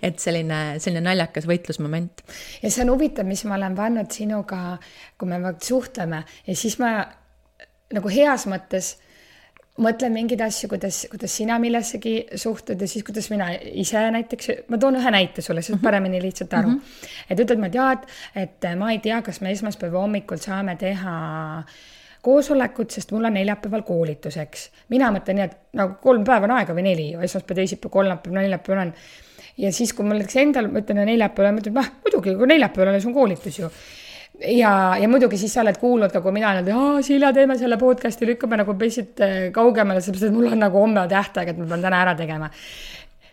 Et selline naljakas võitlusmoment. Ja see on huvitav, mis ma olen pannud sinuga, kui me suhtleme ja siis ma nagu heas mõttes mõtlen mingeid asju, kuidas sina millessegi suhtud ja siis kuidas mina ise näiteks, ma toon ühe näite sulle, siis paremini lihtsalt aru. Et ütled ma, et ma ei tea, kas me esmaspäeva hommikul saame teha koosolekut, sest mul on neljapäeval koolituseks. Mina mõtlen nii, et nagu 3 päeva on aega või 4, esmaspäev, teisipäev, kolmapäev, neljapäev on. Ja siis, kui mul endal mõtlen neljapäeval, mõtlen, muidugi, kui neljapäeval on koolitus ju. Ja muidugi siis sa oled kuulnud ka, kui mina olen, Silja, teeme selle podcasti, lükkame nagu pesid kaugemale, sellepärast, et mul on nagu homme tähtaeg, et ma pean täna ära tegema.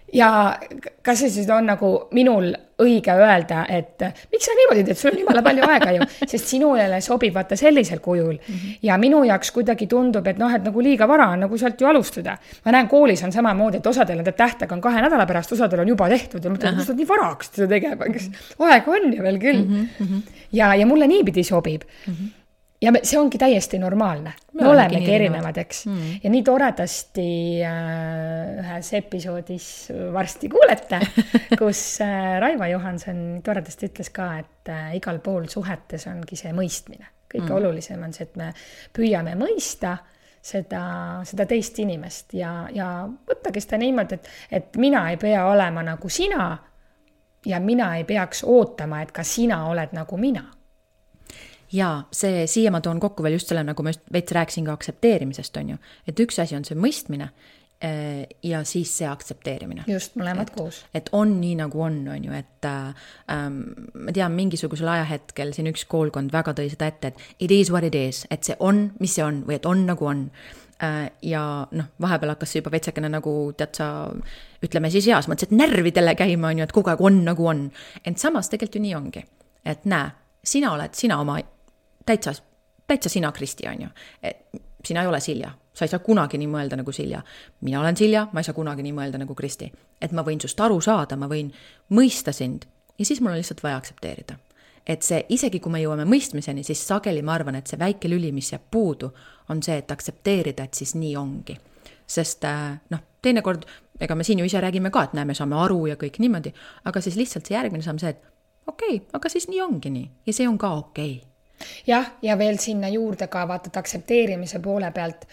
Ja kas see siis on nagu minul õige öelda, et miks sa niimoodi teed, sul on jumala palju aega ju, sest sinule sobib vaata sellisel kujul. Ja minu jaoks kuidagi tundub, et et nagu liiga vara on nagu sealt ju alustada. Ma näen, koolis on samamoodi, et osadel on tähtaeg on 2 nädala pärast, osadel on juba tehtud ja mõtlen, et nii varaks seda tegema, kes aega on ju veel küll. Ja mulle niipidi sobib. Ja see ongi täiesti normaalne. Me olemegi erinevad, eks. Ja nii toredasti ühes episoodis varsti kuulete, kus Raivo Johanson toredasti ütles ka, et igal pool suhetes ongi see mõistmine. Kõige olulisem on see, et me püüame mõista seda teist inimest ja võttagi seda niimoodi, et mina ei pea olema nagu sina ja mina ei peaks ootama, et ka sina oled nagu mina. Ja siia ma toon kokku veel just selle, nagu ma just veits rääkisin ka aktsepteerimisest, on ju. Et üks asi on see mõistmine ja siis see aktsepteerimine. Just, mõlemad koos. Et on nii nagu on ju, et ma tean mingisugusel ajahetkel siin üks koolkond väga tõi seda ette, et it is what it is, et see on, mis see on või et on nagu on. Ja vahepeal hakkas see juba veitsekene nagu tead sa, ütleme siis heas mõttes, et närvidele käima on ju, et kogu aeg on nagu on. Ent samas tegelikult ju nii ongi, et näe, sina oled sina oma täitsa sina Kristi on ju. Sina ei ole Silja. Sa ei saa kunagi nii mõelda nagu Silja. Mina olen Silja, ma ei saa kunagi nii mõelda nagu Kristi. Et ma võin sust aru saada, ma võin mõista sind ja siis mul on lihtsalt vaja aktsepteerida. Et see, isegi kui me jõuame mõistmiseni, siis sageli ma arvan, et see väike lüli, mis jääb puudu, on see, et aktsepteerida, et siis nii ongi. Sest teinekord, ega me siin ju ise räägime ka, et näe, me saame aru ja kõik niimoodi, aga siis lihtsalt see järgmine samm see, et okei, aga siis nii ongi nii ja see on ka okei. Jah, ja veel sinna juurde ka vaatad aktsepteerimise poole pealt,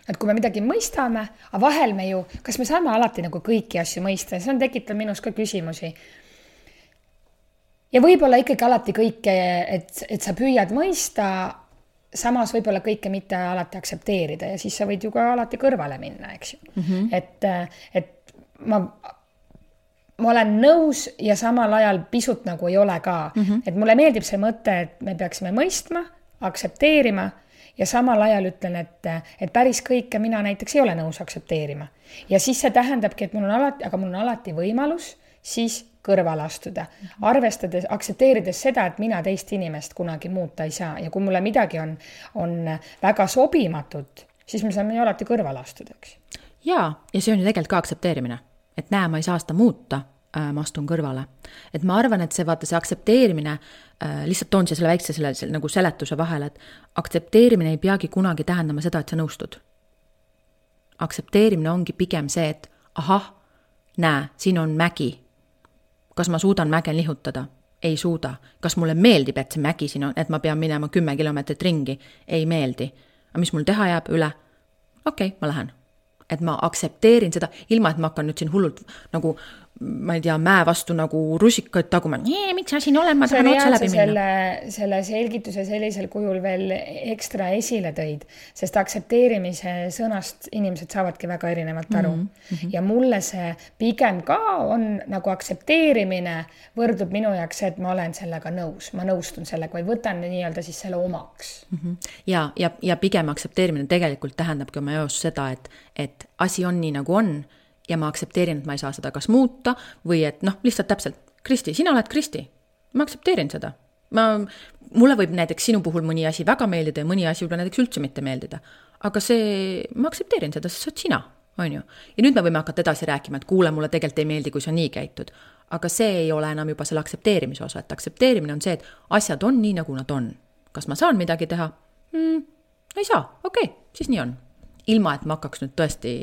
et kui me midagi mõistame, aga vahel me ju, kas me saame alati nagu kõiki asju mõista, see on tekitab minus ka küsimusi. Ja võib-olla ikkagi alati kõike, et sa püüad mõista, samas võib-olla kõike mitte alati aktsepteerida ja siis sa võid ju ka alati kõrvale minna, eks ju. Et ma olen nõus ja samal ajal pisut nagu ei ole ka. Et mulle meeldib see mõte, et me peaksime mõistma, aktsepteerima ja samal ajal ütlen, et päris kõike mina näiteks ei ole nõus aktsepteerima. Ja siis see tähendabki, et mul on alati võimalus siis kõrvale astuda, arvestades, aktsepteerides seda, et mina teist inimest kunagi muuta ei saa ja kui mulle midagi on väga sobimatut, siis me saame ju alati kõrvale astuda, eks. Ja see on ju tegelikult ka aktsepteerimine, et näe, ma ei saa seda muuta, ma astun kõrvale. Et ma arvan, et see aktsepteerimine, lihtsalt toon selle väikse selle nagu seletuse vahele, et aktsepteerimine ei peagi kunagi tähendama seda, et sa nõustud. Aktsepteerimine ongi pigem see, et ahah, näe, siin on mägi. Kas ma suudan mäge lihutada? Ei suuda. Kas mulle meeldib, et see mägi siin on, et ma pean minema 10 kilomeetrit ringi? Ei meeldi. Aga mis mul teha jääb üle? Okei, ma lähen. Et ma aktsepteerin seda, ilma et ma hakkan nüüd siin hullult nagu, ma ei tea, mäe vastu nagu rusikaid taguma. Miks sa siin olen, ma tahan otse läbi minna. Selle selgituse sellisel kujul veel ekstra esile tõid, sest aktsepteerimise sõnast inimesed saavadki väga erinevalt aru. Ja mulle see pigem ka on nagu aktsepteerimine võrdub minu jaoks, et ma olen sellega nõus. Ma nõustun sellega või võtan nii-öelda siis selle omaks. Ja pigem aktsepteerimine tegelikult tähendabki oma jaos seda, et asi on nii nagu on ja ma aktsepteerin, et ma ei saa seda kas muuta või et lihtsalt täpselt, Kristi, sina oled Kristi, ma aktsepteerin seda. Mulle võib näiteks sinu puhul mõni asi väga meeldida ja mõni asi võib näiteks üldse mitte meeldida, aga ma aktsepteerin seda, sest sa oled sina, on ju. Ja nüüd me võime hakata edasi rääkima, et kuule, mulle tegelikult ei meeldi, kui sa nii käitud, aga see ei ole enam juba selle aktsepteerimise osa, et aktsepteerimine on see, et asjad on nii, nagu nad on. Kas ma saan midagi teha? Ei saa, okei, siis nii on. Ilma, et ma hakkaks nüüd tõesti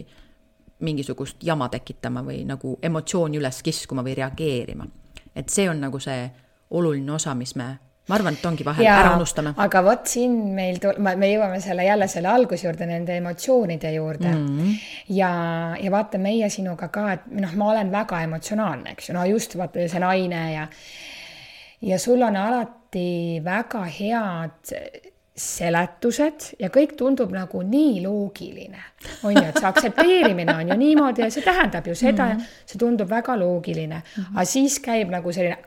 mingisugust jama tekitama või nagu emotsiooni üles kiskuma või reageerima. Et see on nagu see oluline osa, mis me arvan, et ongi vahel ära unustame. Aga võt siin me jõuame jälle selle algus juurde, nende emotsioonide juurde. Ja vaata meie sinuga ka, et ma olen väga emotsionaalne, eks ju. Just vaata see naine ja sul on alati väga head seletused ja kõik tundub nagu nii loogiline. On ju, et see aktsepteerimine on ju niimoodi ja see tähendab ju seda, see tundub väga loogiline. Aga siis käib nagu selline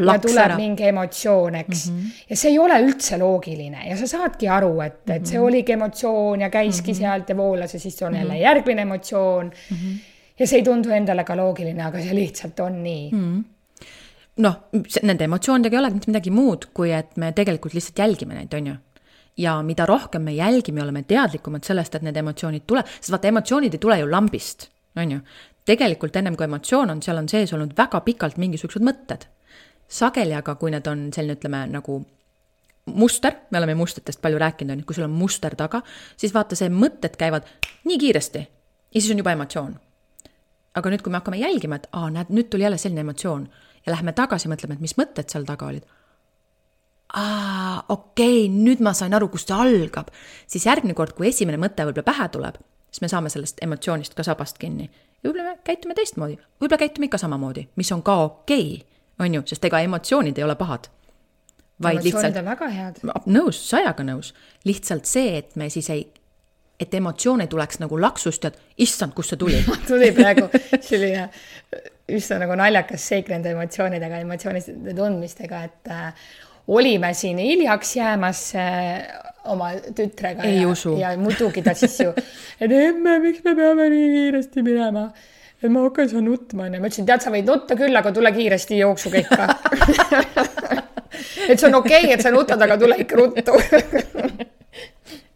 ja tuleb mingi emotsioon, eks. Ja see ei ole üldse loogiline ja sa saadki aru, et see oligi emotsioon ja käiski sealt ja voolas ja siis on jälle järgmine emotsioon ja see ei tundu endale ka loogiline, aga see lihtsalt on nii. Nende emotsioonidega ei ole mitte midagi muud, kui et me tegelikult lihtsalt jälgime neid, on ju. Ja mida rohkem me jälgime, oleme teadlikumad sellest, et need emotsioonid tule, sest vaata, emotsioonid ei tule ju lambist, on ju. Tegelikult ennem kui emotsioon on, seal on sees olnud väga pikalt mingisugused mõtted. Sageli aga, kui need on selline, ütleme, nagu muster, me oleme mustritest palju rääkinud, kui sul on muster taga, siis vaata, see mõtted käivad nii kiiresti ja siis on juba emotsioon. Aga nüüd, kui me hakkame jälgima, et näed, nüüd tuli jälle selline emotsioon ja läheme tagasi, mõtleme, et mis mõtted seal taga olid. Okei, nüüd ma sain aru, kust see algab. Siis järgmine kord, kui esimene mõte võib-olla pähe tuleb, siis me saame sellest emotsioonist ka sabast kinni. Ja võib-olla me käitume teistmoodi, võib-olla käitume ikka samamoodi, mis on ka okei, on ju, sest ega emotsioonid ei ole pahad. Emotsioonid on väga head. Nõus, sajaga nõus. Lihtsalt see, et me siis et emotsioon ei tuleks nagu laksust, et issand, kus see tuli. Tuli praegu selline üsna nagu naljakas seik nende emotsioonidega, emotsioonide tundmistega, et olime siin hiljaks jäämas oma tütrega ja muidugi ta siis ju, et emme, miks me peame nii kiiresti minema? Et ma hakkan sa nutma. Ma ütlesin, tead, sa võid nutta küll, aga tule kiiresti jooksuga ikka. Et see on okei, et sa nutad, aga tule ikka ruttu.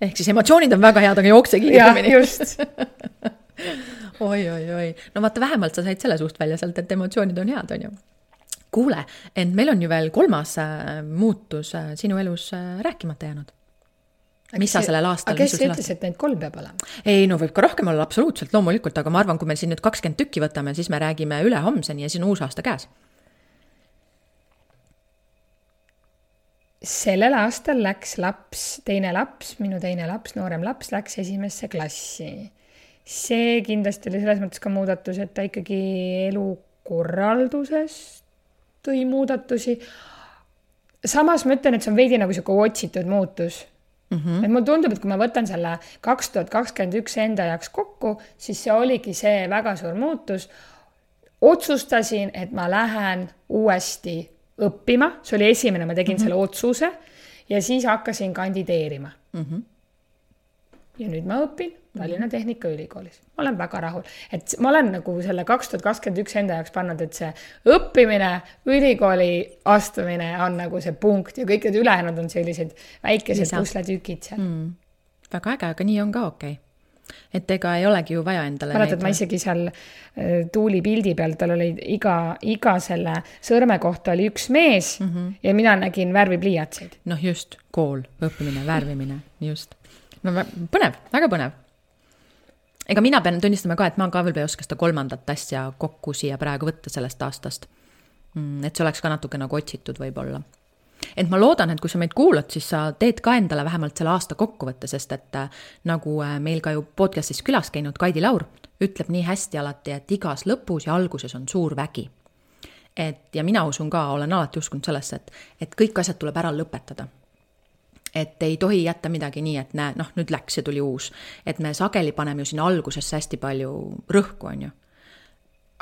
Ehk siis emotsioonid on väga head, aga jookse kiiremini. Ja, just. Oi. No vaata, vähemalt sa said selle suust välja sealt, et emotsioonid on head, on ju. Kuule, ent meil on ju veel 3. muutus sinu elus rääkimata jäänud. Mis sa sellel aastal? Aga kes ütles, et neid 3 peab olema? Ei, no võib ka rohkem olla, absoluutselt, loomulikult, aga ma arvan, kui meil siin nüüd 20 tükki võtame, siis me räägime üle homseni ja siis on uus aasta käes. Sellel aastal läks minu teine laps, noorem laps läks 1. klassi. See kindlasti oli selles mõttes ka muudatus, et ta ikkagi elukorralduses tõi muudatusi. Samas ma ütlen, et see on veidi nagu selline otsitud muutus. Et mul tundub, et kui ma võtan selle 2021 enda jaoks kokku, siis see oligi see väga suur muutus. Otsustasin, et ma lähen uuesti õppima. See oli esimene, ma tegin selle otsuse ja siis hakkasin kandideerima. Ja nüüd ma õpin Tallinna Tehnikaülikoolis. Ma olen väga rahul. Et ma olen nagu selle 2021 enda jaoks pannud, et see õppimine, ülikooli astumine on nagu see punkt ja kõik need ülejäänud on sellised väikesed pusletükid seal. Väga äge, aga nii on ka okei. Et ega ei olegi ju vaja endale mäletad, ma isegi seal Tuuli pildi peal, tal oli iga selle sõrme kohta oli üks mees ja mina nägin värvipliiatseid. Noh just, kool, õppimine, värvimine, just. No põnev, väga põnev. Ega mina pean tunnistama ka, et ma ka veel ei oska seda 3. asja kokku siia praegu võtta sellest aastast. Et see oleks ka natuke nagu otsitud võib-olla. Et ma loodan, et kui sa meid kuulad, siis sa teed ka endale vähemalt selle aasta kokkuvõtte, sest et nagu meil ka ju podcastis külas käinud Kaidi Laur ütleb nii hästi alati, et igas lõpus ja alguses on suur vägi. Ja mina usun ka, olen alati uskunud sellesse, et kõik asjad tuleb ära lõpetada. Et ei tohi jätta midagi nii, et näe, nüüd läks ja tuli uus. Et me sageli paneme ju sinna algusesse hästi palju rõhku, on ju.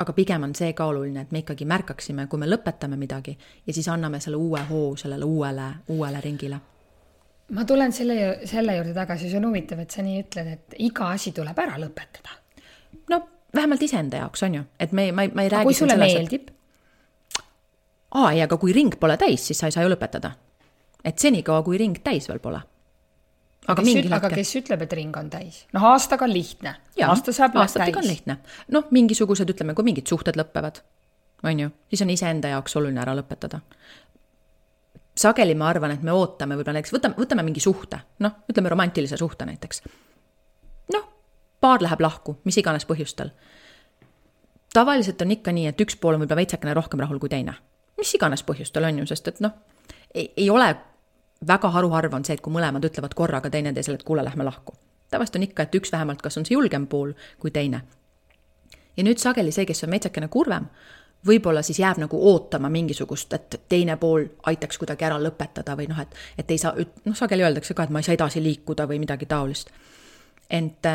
Aga pigem on see ka oluline, et me ikkagi märkaksime, kui me lõpetame midagi ja siis anname selle uue hoo sellele uuele ringile. Ma tulen selle juurde tagasi, see on huvitav, et sa nii ütled, et iga asi tuleb ära lõpetada. No, vähemalt iseenda jaoks on ju. Et ma ei räägi kui sulle meeldib? Aga kui ring pole täis, siis sa ei saa ju lõpetada. Et senikaua, kui ring täis veel pole. Aga kes ütleb, et ring on täis? Aastaga on lihtne. Aastatega on lihtne. Mingisugused, ütleme, kui mingid suhted lõppevad, on ju, siis on iseenda jaoks oluline ära lõpetada. Sageli ma arvan, et me ootame, võib-olla näiteks, võtame mingi suhte, ütleme romantilise suhte näiteks. Paar läheb lahku, mis iganes põhjustel. Tavaliselt on ikka nii, et üks pool on võib-olla veitsakene rohkem rahul kui teine. Mis iganes põhjustel on ju, sest et ei ole väga haruharv on see, et kui mõlemad ütlevad korraga teine teisele, et kuule, lähme lahku. Tavaliselt on ikka, et üks vähemalt, kas on see julgem pool kui teine. Ja nüüd sageli see, kes on veitsakene kurvem, võib-olla siis jääb nagu ootama mingisugust, et teine pool aitaks kuidagi ära lõpetada või et ei saa, sageli öeldakse ka, et ma ei saa edasi liikuda või midagi taolist. Ent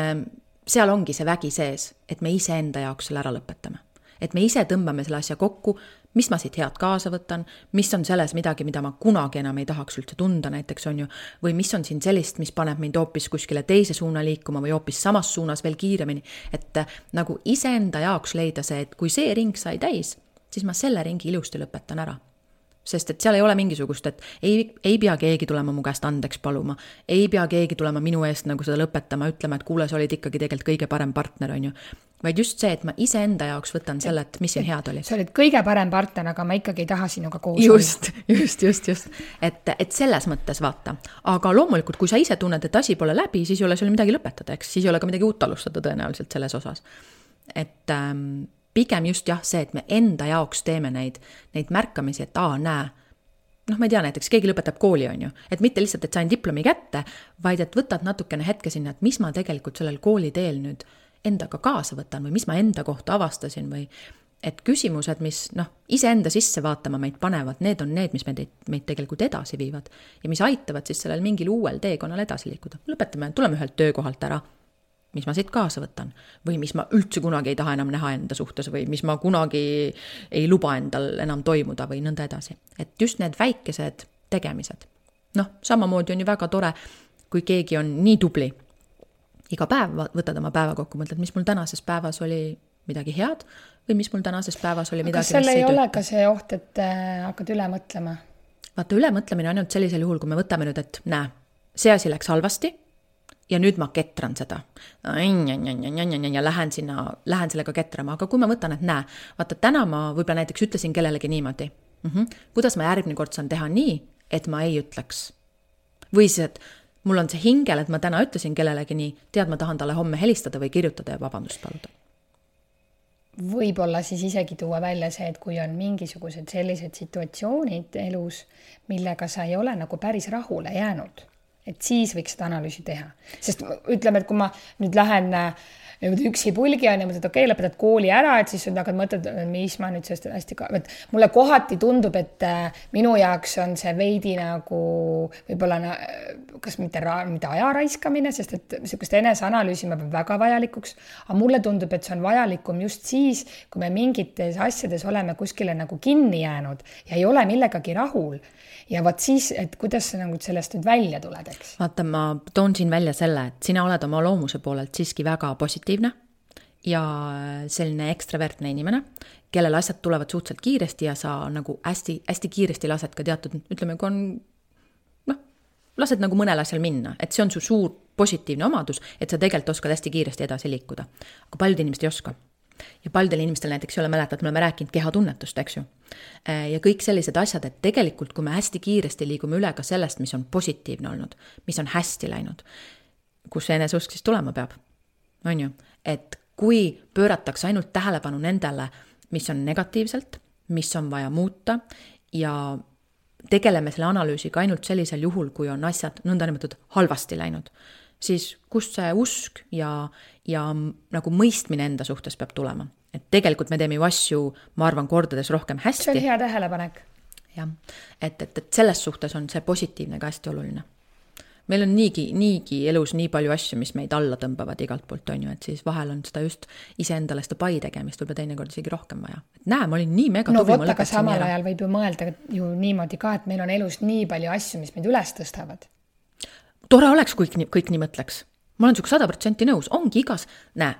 seal ongi see vägi sees, et me ise enda jaoks selle ära lõpetame. Et me ise tõmbame selle asja kokku, mis ma siit head kaasa võtan, mis on selles midagi, mida ma kunagi enam ei tahaks üldse tunda näiteks on ju, või mis on siin sellist, mis paneb mind hoopis kuskile teise suuna liikuma või hoopis samas suunas veel kiiremini, et nagu iseenda jaoks leida see, et kui see ring sai täis, siis ma selle ringi ilusti lõpetan ära. Sest et seal ei ole mingisugust, et ei pea keegi tulema mu käest andeks paluma, ei pea keegi tulema minu eest nagu seda lõpetama, ütlema, et kuule, sa olid ikkagi tegelikult kõige parem partner, on ju. Vaid just see, et ma ise enda jaoks võtan selle, et mis siin head oli. Sa olid kõige parem partner, aga ma ikkagi ei taha sinuga koos. Just. Et selles mõttes vaata. Aga loomulikult, kui sa ise tunned, et asi pole läbi, siis ei ole sul midagi lõpetada, eks? Siis ei ole ka midagi uut alustada tõenäoliselt selles osas. Et pigem just see, et me enda jaoks teeme neid märkamisi, et näe, ma ei tea, näiteks keegi lõpetab kooli, on ju, et mitte lihtsalt, et sain diplomi kätte, vaid et võtad natukene hetke sinna, et mis ma tegelikult sellel kooliteel nüüd endaga kaasa võtan või mis ma enda kohta avastasin või et küsimused, mis iseenda sisse vaatama meid panevad, need on need, mis meid tegelikult edasi viivad ja mis aitavad siis sellel mingil uuel teekonnal edasi liikuda. Lõpetame, tuleme ühelt töökohalt ära, mis ma siit kaasa võtan või mis ma üldse kunagi ei taha enam näha enda suhtes või mis ma kunagi ei luba endal enam toimuda või nõnda edasi. Et just need väikesed tegemised. Samamoodi on ju väga tore, kui keegi on nii tubli. Iga päev võtad oma päeva kokku, mõtled, mis mul tänases päevas oli midagi head või mis mul tänases päevas oli midagi, kas selle ei ole ka see oht, et hakkad üle mõtlema? Vaata, üle mõtlemine on ainult sellisel juhul, kui me võtame nüüd, et näe, see asi läks halvasti ja nüüd ma ketran seda. Ja lähen sellega ketrama. Aga kui ma võtan, et näe, vaata, täna ma võib-olla näiteks ütlesin kellelegi niimoodi. Kuidas ma järgmine kord saan teha nii, et ma ei ütleks? Või siis, et mul on see hingel, et ma täna ütlesin kellelegi nii, tead, ma tahan talle homme helistada või kirjutada ja vabandust paluda. Võib-olla siis isegi tuua välja see, et kui on mingisugused sellised situatsioonid elus, millega sa ei ole nagu päris rahule jäänud, et siis võiks seda analüüsi teha. Sest ütleme, et kui ma nüüd lähen üksipulgi on ja mõtled, okei, lõpetad kooli ära, et siis hakkad mõtled, mis ma nüüd sellest hästi et mulle kohati tundub, et minu jaoks on see veidi nagu võib-olla kas mitte aja raiskamine, sest et niisugust eneseanalüüsi ma pean väga vajalikuks, aga mulle tundub, et see on vajalikum just siis, kui me mingites asjades oleme kuskile nagu kinni jäänud ja ei ole millegagi rahul. Ja võt siis, et kuidas sa nagu sellest nüüd välja tuled, eks? Vaata, ma toon siin välja selle, et sina oled oma loomuse poolelt siiski väga positiivne ja selline ekstravertne inimene, kellel asjad tulevad suhteliselt kiiresti ja sa nagu hästi, hästi kiiresti lased ka teatud, ütleme, kui on, lased nagu mõnel asjal minna, et see on su suur positiivne omadus, et sa tegelikult oskad hästi kiiresti edasi liikuda. Aga paljud inimesed ei oska. Ja paljudel inimestel näiteks ei ole mäletad, me oleme rääkinud kehatunnetust, eks ju. Ja kõik sellised asjad, et tegelikult kui me hästi kiiresti liigume üle ka sellest, mis on positiivne olnud, mis on hästi läinud, kus see eneseusk siis tulema peab, on ju. Et kui pööratakse ainult tähelepanu nendele, mis on negatiivselt, mis on vaja muuta ja tegeleme selle analüüsiga ainult sellisel juhul, kui on asjad nõndanimetatud halvasti läinud, siis kust see usk ja nagu mõistmine enda suhtes peab tulema. Et tegelikult me teeme ju asju, ma arvan, kordades rohkem hästi. See on hea tähelepanek. Ja, et selles suhtes on see positiivne ka hästi oluline. Meil on niigi elus nii palju asju, mis meid alla tõmbavad igalt poolt, on ju, et siis vahel on seda just iseendale seda pai tegemist võib-olla teinekord isegi rohkem vaja. Et näe, ma olin nii mega tubli. No võtta ka samal ajal võib ju mõelda ju niimoodi ka, et meil on elus nii palju asju, mis meid üles tõstavad. Tore oleks, kui kõik nii mõtleks. Ma olen suga 100% nõus, ongi igas, näe,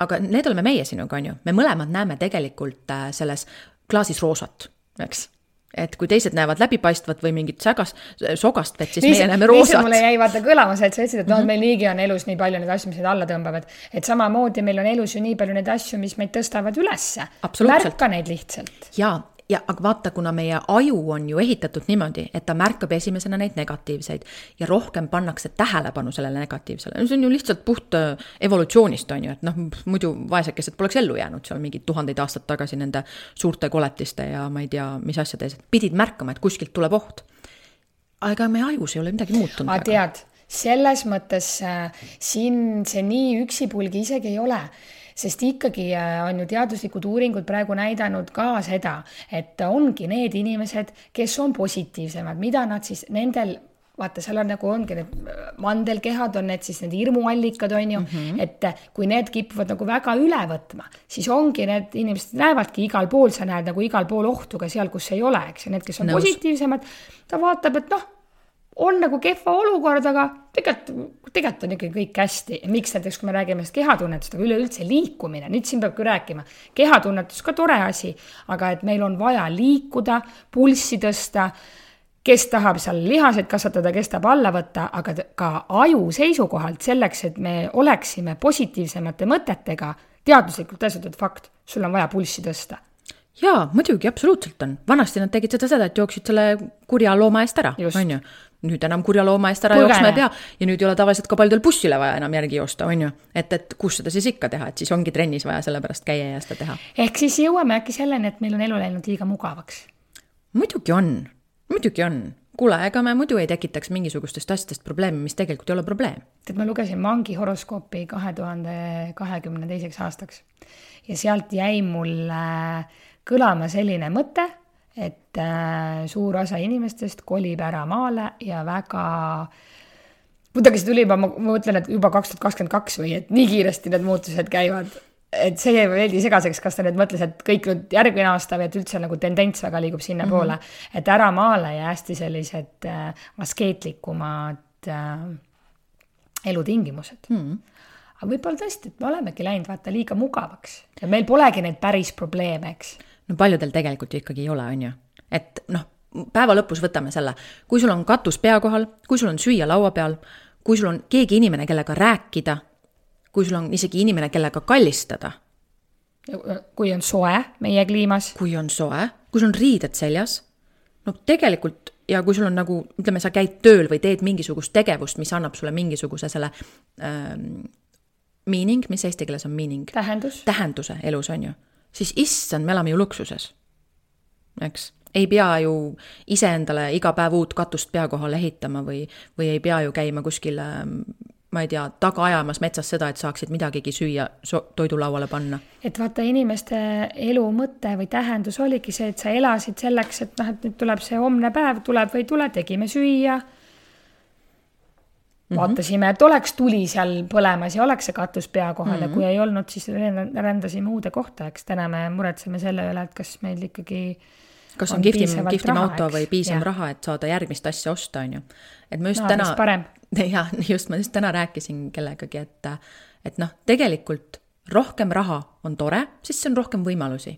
aga need oleme meie sinuga, on ju. Me mõlemad näeme tegelikult selles klaasis roosat, eks? Et kui teised näevad läbipaistvat või mingit sogast vett, siis meie näeme roosat. Mulle jäi vaata kõlamas, et sa ütlesid, et meil niigi on elus nii palju neid asju, mis neid alla tõmbavad. Et samamoodi meil on elus ju nii palju neid asju, mis meid tõstavad ülesse. Märka neid lihtsalt. Ja aga vaata, kuna meie aju on ju ehitatud niimoodi, et ta märkab esimesena neid negatiivseid ja rohkem pannakse tähelepanu sellele negatiivsele. See on ju lihtsalt puht evolutsioonist, on ju, et muidu vaesekesed poleks ellu jäänud seal mingid 1000 aastat tagasi nende suurte koletiste ja ma ei tea, mis asjades. Pidid märkama, et kuskilt tuleb oht. Aga meie ajus ei ole midagi muutunud. Aga tead, selles mõttes siin see nii üksipulgi isegi ei ole. Sest ikkagi on ju teaduslikud uuringud praegu näidanud ka seda, et ongi need inimesed, kes on positiivsemad, mida nad siis nendel, vaata, seal on nagu ongi need mandelkehad, on need siis need hirmuallikad, on ju, et kui need kipuvad nagu väga üle võtma, siis ongi need inimesed näevadki igal pool, sa näed nagu igal pool ohtu ka seal, kus ei ole, eks, ja need, kes on positiivsemad, ta vaatab, et on nagu kehva olukord, aga tegelikult on ikkagi kõik hästi. Miks näiteks, kui me räägime kehatunnetust, aga üleüldse liikumine, nüüd siin peab küll rääkima, kehatunnetus ka tore asi, aga et meil on vaja liikuda, pulssi tõsta, kes tahab seal lihaseid kasvatada, kes tahab alla võtta, aga ka aju seisukohalt selleks, et me oleksime positiivsemate mõtetega, teaduslikult tõestatud fakt, sul on vaja pulssi tõsta. Jaa, muidugi, absoluutselt on. Vanasti nad tegid seda, et jooksid selle kurja looma eest ära, on ju. Nüüd enam kurja looma eest ära jooksma ei pea ja nüüd ei ole tavaliselt ka paljudel bussile vaja enam järgi joosta, on ju. Et kus seda siis ikka teha, et siis ongi trennis vaja sellepärast käia ja seda teha. Ehk siis jõuame äkki selleni, et meil on elu läinud liiga mugavaks. Muidugi on. Kuule, ega me muidu ei tekitaks mingisugustest asjadest probleemi, mis tegelikult ei ole probleem. Et ma lugesin Mangi horoskoopi 2022. aastaks ja sealt jäi mulle kõlama selline mõte, et suur osa inimestest kolib ära maale ja väga muidugi see tuli juba, ma mõtlen, et juba 2022 või et nii kiiresti need muutused käivad, et see jäi veeldi segaseks, kas ta nüüd mõtles, et kõik nüüd järgmine aasta või et üldse nagu tendents väga liigub sinna poole, et ära maale ja hästi sellised askeetlikumad elutingimused. Aga võib-olla tõesti, et me olemegi läinud vaata liiga mugavaks ja meil polegi neid päris probleeme, eks. No paljudel tegelikult ju ikkagi ei ole, on ju. Et päeva lõpus võtame selle, kui sul on katus pea kohal, kui sul on süüa laua peal, kui sul on keegi inimene, kellega rääkida, kui sul on isegi inimene, kellega kallistada. Kui on soe meie kliimas. Kui on soe, kui sul on riided seljas. No tegelikult, ja kui sul on nagu, ütleme, sa käid tööl või teed mingisugust tegevust, mis annab sulle mingisuguse selle meaning, mis eesti keeles on meaning? Tähenduse elus, on ju. Siis issand, me elame ju luksuses. Eks? Ei pea ju iseendale iga päev uut katust pea kohal ehitama või ei pea ju käima kuskil, ma ei tea, taga ajamas metsas seda, et saaksid midagigi süüa toidulauale panna. Et vaata, inimeste elu mõte või tähendus oligi see, et sa elasid selleks, et noh, et nüüd tuleb see homne päev, tuleb või ei tule, tegime süüa. Vaatasime, et oleks tuli seal põlemas ja oleks see katus pea kohal ja kui ei olnud, siis rändasime uude kohta, eks täna me muretseme selle üle, et kas meil ikkagi kas on kihvtim auto või piisav raha, et saada järgmist asja osta, on ju. Et ma just ma just täna rääkisin kellegagi, et noh, tegelikult rohkem raha on tore, siis see on rohkem võimalusi.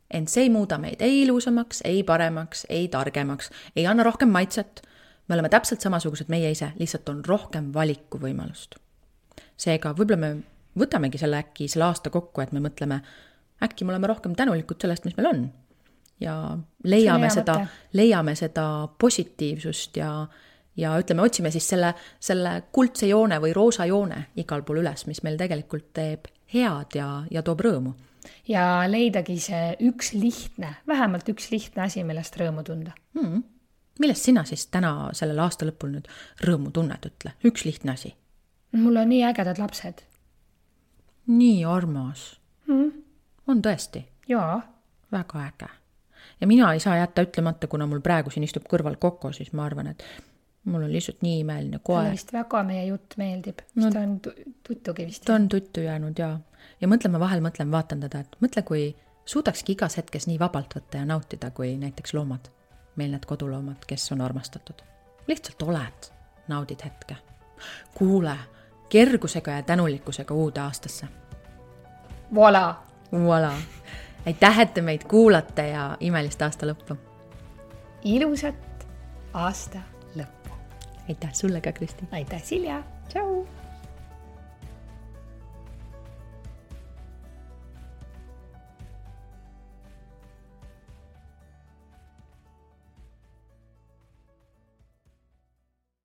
Ent see ei muuda meid ei ilusamaks, ei paremaks, ei targemaks, ei anna rohkem maitset. Me oleme täpselt samasugused meie ise, lihtsalt on rohkem valikuvõimalust. Seega võib-olla me võtamegi selle aasta kokku, et me mõtleme, äkki me oleme rohkem tänulikud sellest, mis meil on. Ja leiame seda positiivsust ja ütleme, otsime siis selle kuldse joone või roosa joone igal pool üles, mis meil tegelikult teeb head ja toob rõõmu. Ja leidagi see vähemalt üks lihtne asi, millest rõõmu tunda. Millest sina siis täna sellel aasta lõpul nüüd rõõmu tunned, ütle? Üks lihtne asi. Mul on nii ägedad lapsed. Nii armas. On tõesti? Jaa. Väga äge. Ja mina ei saa jätta ütlemata, kuna mul praegu siin istub kõrval Koko, siis ma arvan, et mul on lihtsalt nii imeline koer. Talle vist väga meie jutt meeldib. Ta on tuttugi vist. Ta on tuttu jäänud, jaa. Ja mõtlen, vaatan teda, et mõtle, kui suudakski igas hetkes nii vabalt võtta ja nautida, kui näiteks loomad. Meil need koduloomad, kes on armastatud. Lihtsalt oled, naudid hetke. Kuule, kergusega ja tänulikkusega uude aastasse. Voilà. Aitäh, et te meid kuulate ja imelist aasta lõppu. Ilusat aasta lõppu. Aitäh sulle ka, Kristi. Aitäh, Silja. Tšau.